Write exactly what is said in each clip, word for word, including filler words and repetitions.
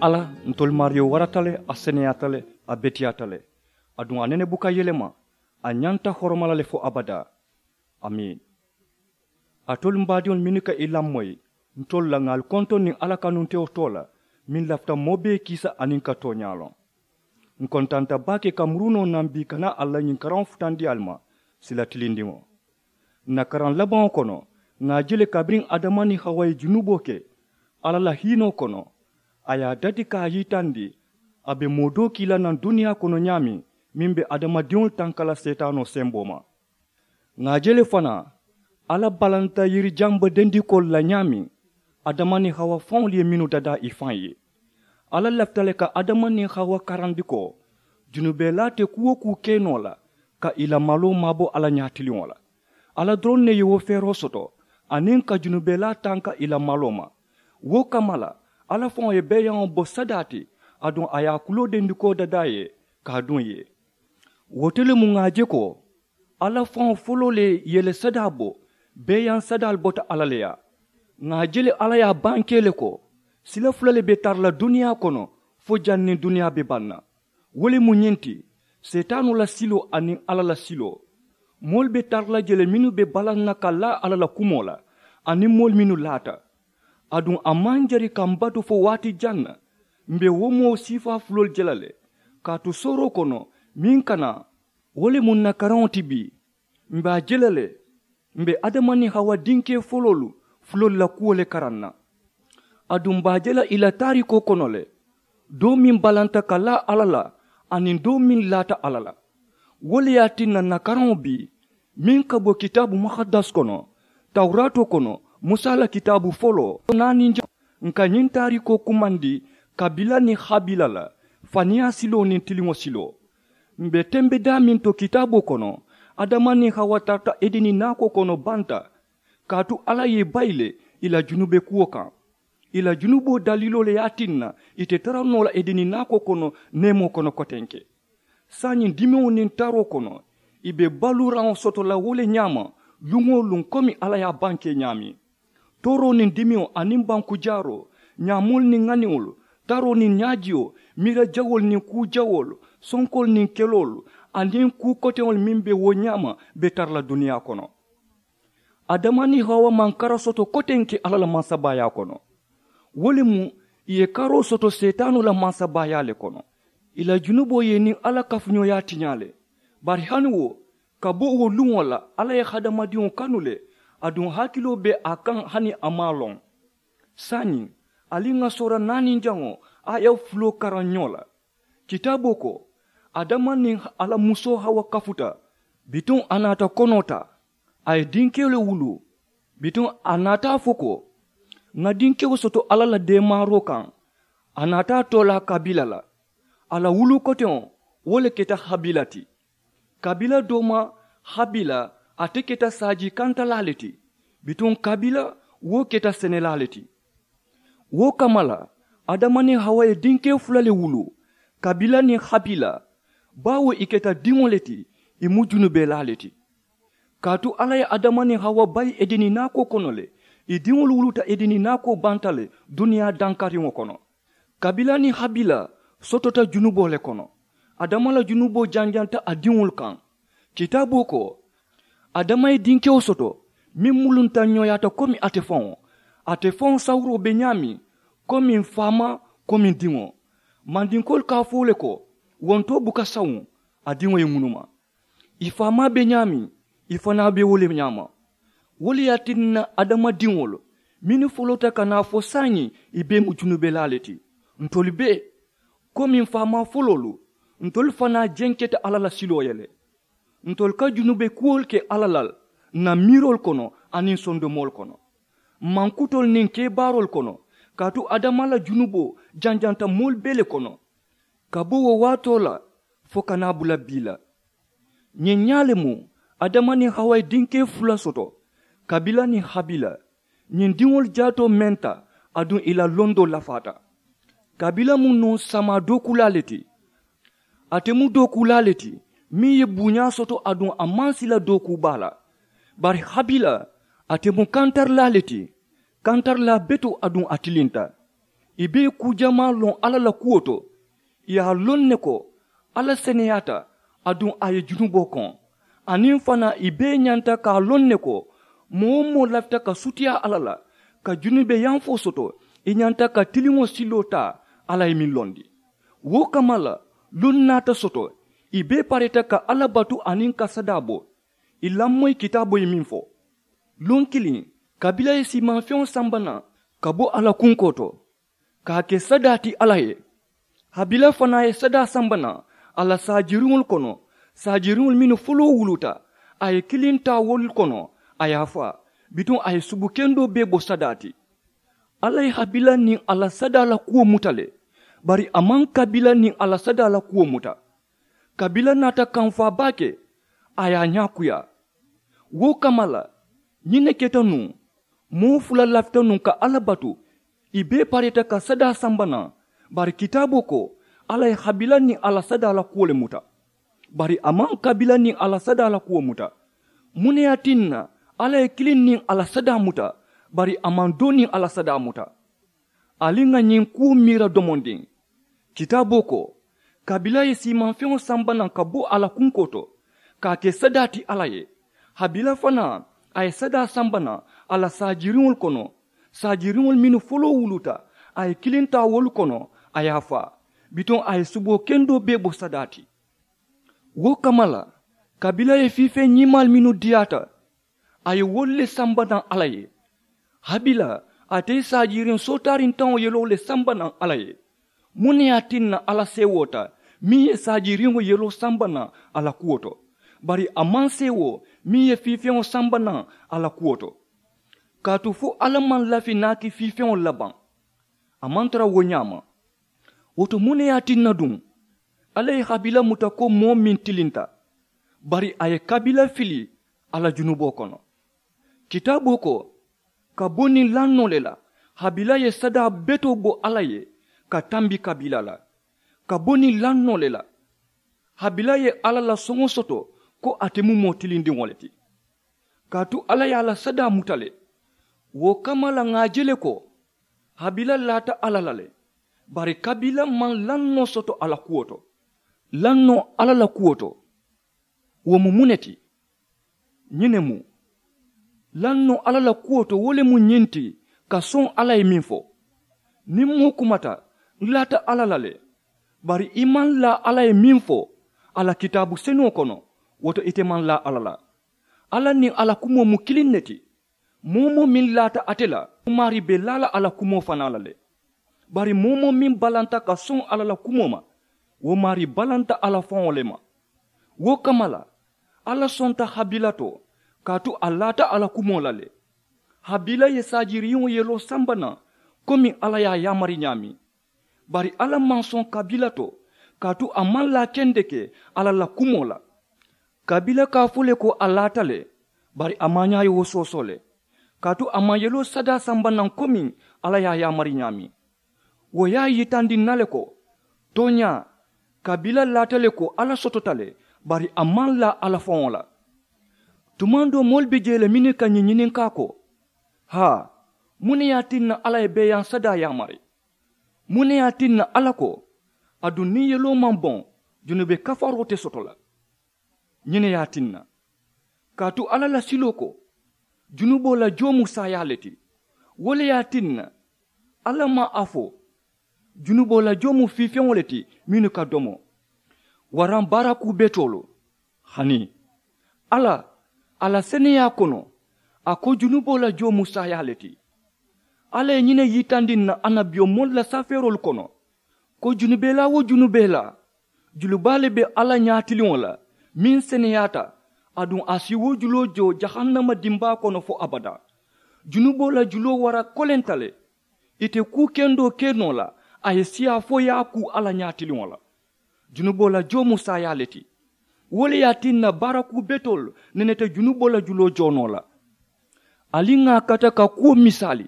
Alla, ntolu maariyo warata le, a seneyaata le, a beteyaata le. Aduŋ a nene buka yelema. A ñanta horoma la le fo abadaa. Amiin. Alitolu m baadiŋolu mennu ka i lamoyi ntolu la ŋà ali kontoŋ niŋ alla kanuntewo too la, meŋ lafita moo bee kiisa aniŋ ka tooñaa loŋ. Ǹ kontanta baake ka murunoo naŋ bii ka naa alla ñiŋ karaŋo futandi ali ma sila tilindiŋo. Ǹ na karaŋ labaŋo kono, ŋà a je le kabiriŋ adama niŋ hawa ye junuboo ke alla la hiinoo kono, a ye a dati ka a yitandi a be moo doo kii la naŋ duniyaa kono ñaameŋ, meŋ be adamadiŋolu tanka la seetaanoo semboo ma. Ŋà a je le fanaa, alla balanta yiri jamba dendikoolu la ñaameŋ adama niŋ hawa faŋolu ye mennu dadaa i faŋ ye. Alla lafita le ka adama niŋ hawa karandi ko, junubelaa te kuwo kuu ke noo la ka i la maloo maabo alla ñaatiliŋo la. Alla doroŋ ne ye wo feeroo soto aniŋ ka junubelaa tanka i la maloo ma. Wo kamma la, alla faŋo ye beeyaŋo bo sadaa ti, aduŋ a ye a kuloo dendikoo dadaa ye ka a duŋ ye. Wo te le mu ŋà a je ko, alla faŋo foloo le ye le sadaa bo, beeyaŋ sadaalu bota alla le yaa. Ŋà a je le alla ye a bankee le ko, sila fula le be tara la duniyaa kono fo janniŋ duniyaa be baŋ na. Wo le mu ñiŋ ti, seetaanoo la siloo aniŋ alla la siloo. Moolu be tara la je le mennu be balaŋ na ka laa alla la kumoo la, aniŋ moolu mennu laata. Aduŋ a maŋ jari ka m batu fo waati jaŋ na, m be wo moo siifaa fuloolu je la le. Kaatu sooroo kono, meŋ ka naa, wo le mu ǹ na karaŋo ti bii. M be a je la le, m be adama niŋ hawa dinkee foloolu fuloolu la kuwo le karaŋ na. Aduŋ m be a je la i la taariikoo kono le, doo meŋ balanta ka laa alla la, aniŋ doo meŋ laata alla la. Wo le ye a tinna ǹ na karaŋo bii, meŋ ka bo kitaabu muhaddas kono, tawuraatoo kono, musa la kitaabu foloo naaniŋ jaŋ, ǹ ka ñiŋ taariikoo kumandi kabila niŋ habila la, faniyaa siloo niŋ tiliŋo siloo. M be tembe daameŋ to kitaaboo kono, adama niŋ hawa tarata edeni naakoo kono banta. Kaatu alla ye i bayi le i la junube kuwo kaŋ. I la junuboo daliiloo le ye a tinna i te tara noo la edeni naakoo kono neemoo kono kotenke. Saayiŋ dimeŋo niŋ taroo kono, i be baluuraŋo soto la wo le ñaama, luŋ-wo-luŋ komi alla ye a bankee ñaameŋ. Tooroo niŋ dimeŋo aniŋ bankujaaroo, ñaamoolu niŋ ŋaniŋolu, taroo niŋ ñaajiyo, miira jawoolu niŋ kuu jawoolu, sonkoolu niŋ keloolu, aniŋ kuu koteŋolu meŋ be wo ñaama be tara la duniyaa kono. Adama niŋ hawa maŋ kara soto kotenke alla la mansabaayaa kono. Wo le mu i ye karoo soto seetaanoo la mansabaayaa le kono. I la junuboo ye i niŋ alla kafuñooyaa tiñaa le. Bari hani wo, ka bo wo luŋo la alla ye hadamadiŋo kanu le, aduŋ hakiloo be a kaŋ hani a maŋ a loŋ. Saayiŋ, ali ŋà soora naaniŋ jaŋo, a ye fuloo karaŋ ñoo la. Kitaaboo ko, adama niŋ a la musoo hawa kafuta, bituŋ a naata konoo taa, a ye dinkewo le wuluu. Bituŋ a naata a fo ko, ŋà dinkewo soto alla la deemaaroo kaŋ. A naata a too la kabila la. A la wuluu koteŋo, wo le keta habila ti. Kabila dooma, habila, ate keta saajii kantalaa le ti. Bituŋ kabila, wo keta senelaa le ti. Wo kamma la, adama niŋ hawa ye dinkee fula le wuluu, kabila niŋ habila. Baawo ì keta diŋo le ti, ì mu junubelaa le ti. Kaatu alla ye adama niŋ hawa bayi edeni naakoo kono le, ì diŋolu wuluuta edeni naakoo banta le duniyaa dankariŋo kono. Kabila niŋ habila sotota junuboo le kono. Adama la junuboo janjanta a diŋolu kaŋ. Kitaaboo ko, adama ye dinkewo soto meŋ mulunta ñooyaata komi ate faŋo. Ate faŋo sawuroo be ñaameŋ, komi faamaa, komi diŋo. Mandinkoolu ka a fo le ko, wontoo buka sawuŋ, a diŋo ye ŋunuma. Ì faamaa be ñaameŋ, ì fanaa be wo le ñaama. Wo le ye a tinna adamadiŋolu mennu foloota ka naa fo saayiŋ, ì bee mu junubelaa le ti. Ntolu bee, komi faamaa foloolu, ntolu fanaa jenketa alla la siloo ye le. Ntolu ka junube kuwolu ke alla la ǹ na miiroolu kono aniŋ sondomoolu kono, mankutoolu niŋ kebaaroolu kono. Kaatu adama la junuboo janjanta moolu bee le kono, ka bo wo waatoo la fo ka naa bula bii la. Ñiŋ ñaa le mu adama niŋ hawa ye dinkee fula soto, kabila niŋ habila. Ñiŋ diŋolu jaatoo menta, aduŋ ì la londoo lafaata. Kabila mu nuŋ samaa dookuulaa le ti. Ate mu dookuulaa le ti, meŋ ye buuñaa soto aduŋ a maŋ sila dookuu baa la. Bari habila, ate mu kantarilaa le ti. Kantarilaa betoo aduŋ a tilinta. I bee kuu jamaa loŋ alla la kuwo to. I ye a loŋ ne ko alla seneyaata, aduŋ a ye junuboo koŋ. Aniŋ fanaa i bee ñanta ka a loŋ ne ko moo-wo-moo lafita ka sutiyaa alla la, ka junube yaŋ fo soto, i ñanta ka tiliŋo siloo taa. Alla ye meŋ londi wo kamma la, luŋ naata soto i bee pareeta ka alla batu aniŋ ka sadaa bo. I lamoyi kitaaboo ye meŋ fo luŋ kiliŋ, kabila ye siimaŋ feŋo samba naŋ ka bo a la kunkoo to, ka a ke sadaa ti alla ye. Habila fanaa ye sadaa samba naŋ a la saajiriŋolu kono, saajiriŋolu mennu foloo wuluta, a ye kiliŋ taa wolu kono, a ye a faa. Bituŋ a ye subu kendoo bee bo sadaa ti. Alla ye habila niŋ a la sadaa la kuwo muta le, bari a maŋ kabila niŋ a la sadaa la kuwo muta. Kabila naata kamfaa baake, a ye a ñaakuyaa. Wo kamma la, ñiŋ ne keta nuŋ, moo fula lafita nuŋ ka alla batu, i bee pareeta ka sadaa samba naŋ. Bari kitaaboo ko alla ye habila niŋ a la sadaa la kuwo le muta, bari a maŋ kabila niŋ a la sadaa la kuwo muta. Muŋ ne ye a tinna alla ye kiliŋ niŋ a la sadaa muta, bari a maŋ doo niŋ a la sadaa muta? Ali ŋà ñiŋ kuwo miira domondiŋ. Kitaaboo ko, kabila ye siimaŋ feŋo samba naŋ ka bo a la kunkoo to, ka a ke sadaa ti alla ye, habila fanaa a ye sadaa samba naŋ a la saajiriŋolu kono, saajiriŋolu mennu foloo wuluta, a ye kiliŋ taa wolu kono, a ye a faa. Bituŋ a ye suboo kendoo bee bo sadaa ti. Wo kamma la, kabila ye fiifeŋ ñimaalu mennu diyaata, a ye wolu le samba naŋ alla ye. Habila, ate ye saajiriŋ sootaariŋ taŋo yeloo le samba naŋ alla ye. Muŋ ne ye a tinna alla seewoota meŋ ye saajiriŋo yeloo samba naŋ a la kuwo to, bari a maŋ seewoo meŋ ye fiifeŋo samba naŋ a la kuwo to? Kaatu fo alla maŋ lafi naaki fiifeŋolu la baŋ? A maŋ tara wo ñaama. Wo to muŋ ne ye a tinna duŋ alla ye habila muta ko moo meŋ tilinta, bari a ye kabila fili a la junuboo kono? Kitaaboo ko, ka bo niŋ lannoo le la, habila ye sadaa betoo bo alla ye ka tambi kabila la. Ka bo niŋ lannoo le la, habila ye alla la soŋo soto ko ate mu moo tilindiŋo le ti. Kaatu alla ye a la sadaa muta le. Wo kamma la ŋà a je le ko habila laata alla la le, bari kabila maŋ lannoo soto a la kuwo to. Lannoo alla la kuwo to, wo mu muŋ ne ti? Ñiŋ ne mu lannoo alla la kuwo to, wo le mu ñiŋ ti, ka soŋ alla ye meŋ fo. Niŋ moo kumata, n laata alla la le, bari i maŋ laa alla ye meŋ fo a la kitaabu senuŋo kono, wo to ite maŋ laa alla la. Alla niŋ a la kumoo mu kiliŋ ne ti. Moo-wo-moo meŋ laata ate la, maarii be laa la a la kumoo fanaa la le. Bari moo-wo-moo meŋ balanta ka soŋ alla la kumoo ma, wo maarii balanta a la faŋo le ma. Wo kamma la, alla sonta habila to, kaatu a laata a la kumoo la le. Habila ye saajiriŋo yeloo samba naŋ komi alla ye a yaamari ñaameŋ. Bari alla maŋ soŋ kabila to, kaatu a maŋ laa kendeke alla la kumoo la. Kabila ka a fo le ko a laata le, bari a maañaa ye wo soosoo le, kaatu a maŋ yeloo sadaa samba naŋ komi alla ye a yaamari ñaameŋ. Wo ye a yitandi n na le ko, tooñaa, kabila laata le ko alla sotota le, bari a maŋ laa alla faŋo la. Tumaŋ doo moolu be jee le mennu ka ñiŋ ñininkaa ko, haa, muŋ ne ye a tinna alla ye beeyaŋ sadaa yaamari? Muŋ ne ye a tinna alla ko, aduŋ niŋ yeloo maŋ boŋ, junube kafaroo te soto la? Ñiŋ ne ye a tinna, kaatu alla la siloo ko, junuboo la joo mu saayaa le ti. Wo le ye a tinna, alla maŋ a fo junuboo la joo mu fiifeŋo le ti mennu ka domo, waraŋ baara kuu betoolu. Hani alla, a la seneyaa kono, a ko junuboo la joo mu saayaa le ti. Alla ye ñiŋ ne yitandi n na annabiyomoolu la safeeroolu kono, ko junubelaa-wo-junubelaa, julubaa le be alla ñaatiliŋo la meŋ seneyaata, aduŋ a si wo juloo joo jahannama dimbaa kono fo abadaa. Junuboo la juloo wara kolenta le. Ì te kuu kendoo ke noo la, a ye siyaa fo ye a kuu alla ñaatiliŋo la. Junuboo la joo mu saayaa le ti. Wo le ye a tinna baara kuu betoolu neneta junuboo la juloo joo noo la. Ali ŋà a kata ka kuwo misaali.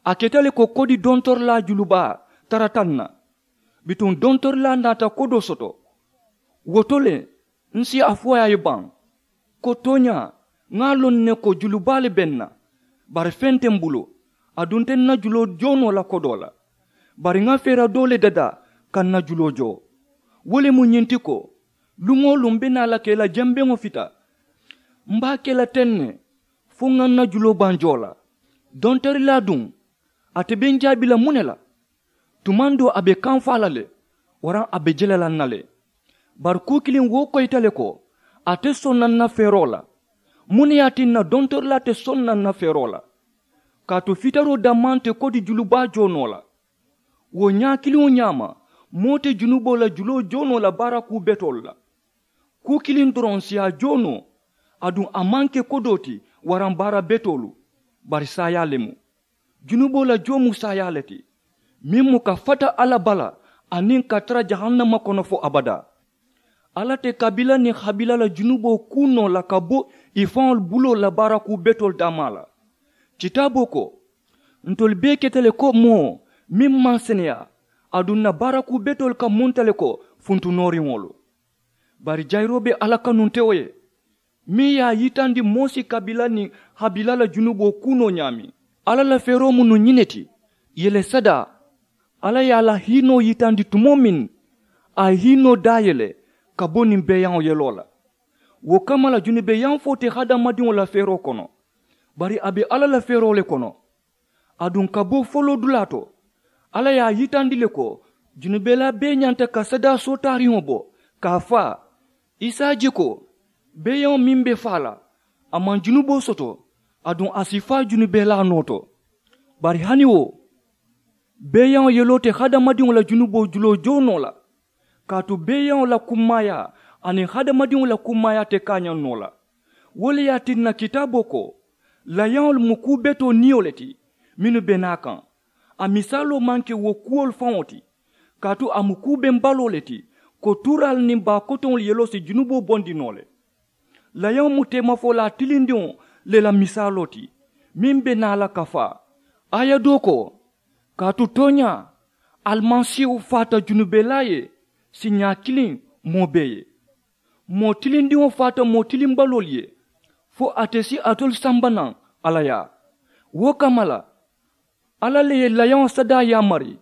A keta le ko kodi dontorilaa julubaa tarata n na. Bituŋ dontorilaa naata kodoo soto. Wo to le, n si a fo a ye baŋ, ko tooñaa, ŋà a loŋ ne ko julubaa le be n na, bari feŋ te m bulu. A dunta n na juloo joo noo la kodoo la. Bari ŋa feera doo le dadaa ka ǹ na juloo joo. Wo le mu ñiŋ ti ko, luŋ-wo-luŋ m̀ be naa la ka i la jembeŋo fita. M̀ be a ke la teŋ ne fo ŋa ǹ na juloo baŋ joo la. Dontorilaa duŋ, ate be ǹ jaabi la muŋ ne la? Tumaŋ doo a be kaŋ faa la le, waraŋ a be jele la ǹ na le. Bari kuu kiliŋ wo koyita le ko, a te soŋ na ǹ na feeroo la. Muŋ ne ye a tinna dontorilaa te soŋ na ǹ na feeroo la? Kaatu fitaroo dammaa nte kodi julubaa joo noo la. Wo ñaa kiliŋo ñaama, moo te junuboo la juloo joo noo la baara kuu betoolu la. Kuu kiliŋ doroŋ si a joo noo. Aduŋ a maŋ ke kodoo ti, waraŋ baara betoolu, bari saayaa le mu. Junuboo la joo mu saayaa le ti, meŋ mu ka fata alla bala, aniŋ ka tara jahannama kono fo abadaa. Alla te kabila niŋ habila la junuboo kuu noo la ka bo ì faŋolu buloo la baara kuu betoolu dammaa la. Kitaaboo ko, ntolu bee keta le ko moo meŋ maŋ seneyaa, aduŋ ǹ na baara kuu betoolu ka munta le ko funtunooriŋolu. Bari jayiroo be alla kanuntewo ye, meŋ ye a yitandi moo si kabila niŋ habila la junuboo kuu noo ñaameŋ. Alla la feeroo mu nuŋ ñiŋ ne ti, yele sadaa. Alla ye a la hiinoo yitandi tumoo meŋ, a ye hiinoo daayele ka bo niŋ beeyaŋo yeloo la. Wo kamma la junubeeyaŋ fo te hadamadiŋo la feeroo kono, bari a be alla la feeroo le kono. Aduŋ ka bo foloodulaa to, alla ye a yitandi le ko junubelaa bee ñanta ka sadaa sootaariŋo bo, ka a faa. I si a je ko beeyaŋo meŋ be faa la, a maŋ junuboo soto, aduŋ a si faa junubelaa noo to. Bari hani wo beeyaŋo yeloo te hadamadiŋo la junuboo juloo joo noo la. Kaatu beeyaŋo la kummaayaa aniŋ hadamadiŋo la kummaayaa te kaañaŋ noo la. Wo le ye a tinna kitaaboo ko, layaŋolu mu kuu betoo niyo le ti mennu be naa kaŋ. A misaaloo maŋ ke wo kuwolu faŋo ti, kaatu a mu kuu bembaloo le ti, ko tuuraalu niŋ baa kotoŋolu yeloo si junuboo bondi noo le. Layaŋo mu teemafolaa tilindiŋo le la misaaloo ti, meŋ be naa la ka faa. Aaya doo ko, kaatu tooñaa, alimasiihu faata junubelaa ye siiñaa kiliŋ moo bee ye. Moo tilindiŋo faata moo tilimbaloolu ye, fo ate si alitolu samba naŋ alla yaa. Wo kamma la, alla le ye layaŋo sadaa yaamari.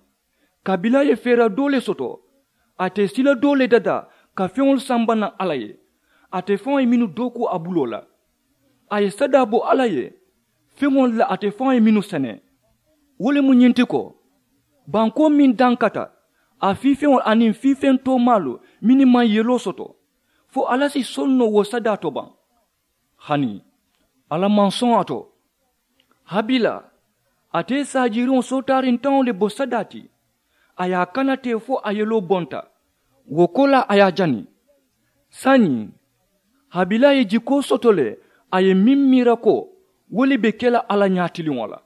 Kabila ye feera doo le soto, ate sila doo le dadaa ka feŋolu samba naŋ alla ye. Ate faŋo ye mennu dookuu a buloo la, a ye sadaa bo alla ye feŋolu la ate faŋo ye mennu sene. Wo le mu ñiŋ ti ko, bankoo meŋ dankata, a fiifeŋolu aniŋ fiifeŋ toomaalu mennu maŋ yeloo soto, fo alla si soŋ noo wo sadaa to baŋ? Hani alla maŋ soŋ a to. Habila, ate ye saajiiriŋo sootaariŋ taŋo le bo sadaa ti, a ye a kana teŋ fo a yeloo bonta. Wo koolaa a ye a jani. Saayiŋ, habila ye jikoo soto le, a ye meŋ miira ko wo le be ke la alla ñaatiliŋo la.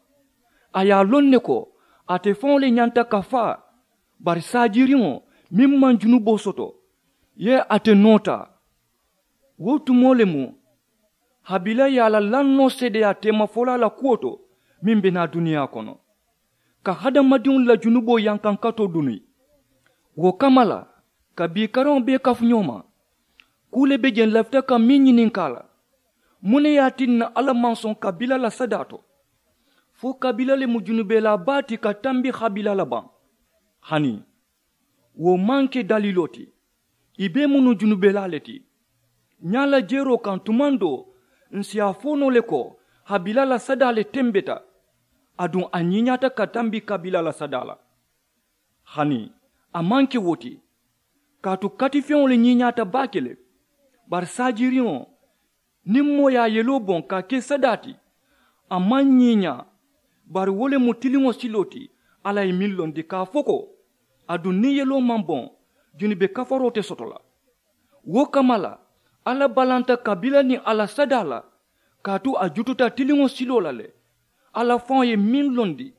A ye a loŋ ne ko ate faŋo le ñanta ka faa. Bari saajiiriŋo meŋ maŋ junuboo soto, ye ate noo taa. Wo tumoo le mu habila ye a la lannoo seedeyaa teemafolaa la kuwo to, meŋ be naa duniyaa kono, ka hadamadiŋolu la junuboo yankankatoo duni. Wo kamma la, ka bii karaŋo bee kafu ñoo ma, kuu le be jeŋ lafita ka meŋ ñininkaa la, muŋ ne ye a tinna alla maŋ soŋ kabila la sadaa to? Fo kabila le mu junubelaa baa ti ka tambi habila la baŋ? Hani wo maŋ ke daliiloo ti. Ì bee mu nuŋ junubelaa le ti. Ñaa la jeeroo kaŋ tumaŋ doo, ǹ si a fo noo le ko habila la sadaa le tembeta, aduŋ a ñiiñaata ka tambi kabila la sadaa la. Hani a maŋ ke wo ti, kaatu katifeŋo le ñiiñaata baake le. Bari saajiiriŋo, niŋ moo ye a yeloo boŋ ka a ke sadaa ti, a maŋ ñiiñaa. Bari wo le mu tiliŋo siloo ti, alla ye meŋ londi ka a fo ko, aduŋ niŋ yeloo maŋ boŋ, junube kafaroo te soto la. Wo kamma la, alla balanta kabila niŋ a la sadaa la, kaatu a jututa tiliŋo siloo la le. Alla faŋo ye meŋ londi,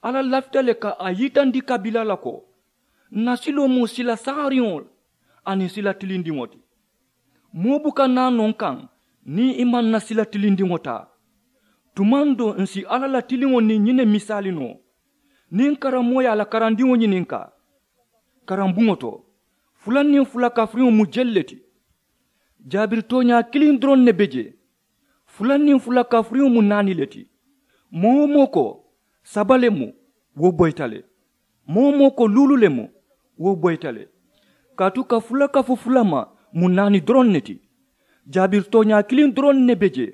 alla lafita le ka a yitandi kabila la ko, ǹ na siloo mu sila sahariŋo aniŋ sila tilindiŋo ti. Moo buka naa noo n kaŋ niŋ i maŋ na sila tilindiŋo taa. Tumaŋ doo ǹ si alla la tiliŋo niŋ ñiŋ ne misaali noo. Niŋ karammoo ye a la karandiŋo ñininkaa karambuŋo to, fula niŋ fula kafiriŋo mu jelu le ti? Jaabiri tooñaa kiliŋ doroŋ ne be jee. Fula niŋ fula kafiriŋo mu naani le ti. Moo-wo-moo ko saba le mu, wo boyita le. Moo-wo-moo ko luulu le mu, wo boyita le. Kaatu ka fula kafu fula ma mu naani doroŋ ne ti. Jaabiri tooñaa kiliŋ doroŋ ne be jee.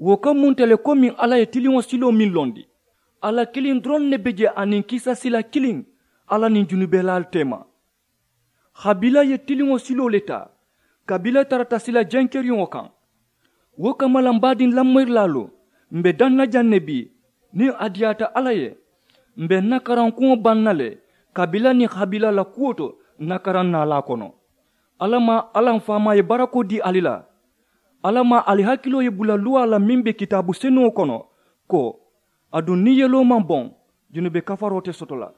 Wo ka munta le komiŋ alla ye tiliŋo siloo meŋ londi. Alla kiliŋ doroŋ ne be jee aniŋ kiisa sila kiliŋ, alla niŋ junubelaalu teema. Habila ye tiliŋo siloo le taa, kabila tarata sila jenkeriŋo kaŋ. Wo kamma la m baadiŋ lamoyirilaalu, m be daŋ na jaŋ ne bii, niŋ a diyaata alla ye, m be n na karankuŋo baŋ na le. Kabila niŋ habila la kuwo to, n na karaŋ naalaa kono. Alla maŋ alla m faamaa ye barakoo dii ali la. Alla maŋ ali hakiloo ye bula luwaa la meŋ be kitaabu senuŋo kono, ko aduŋ niŋ yeloo maŋ boŋ, junube kafaroo te soto la.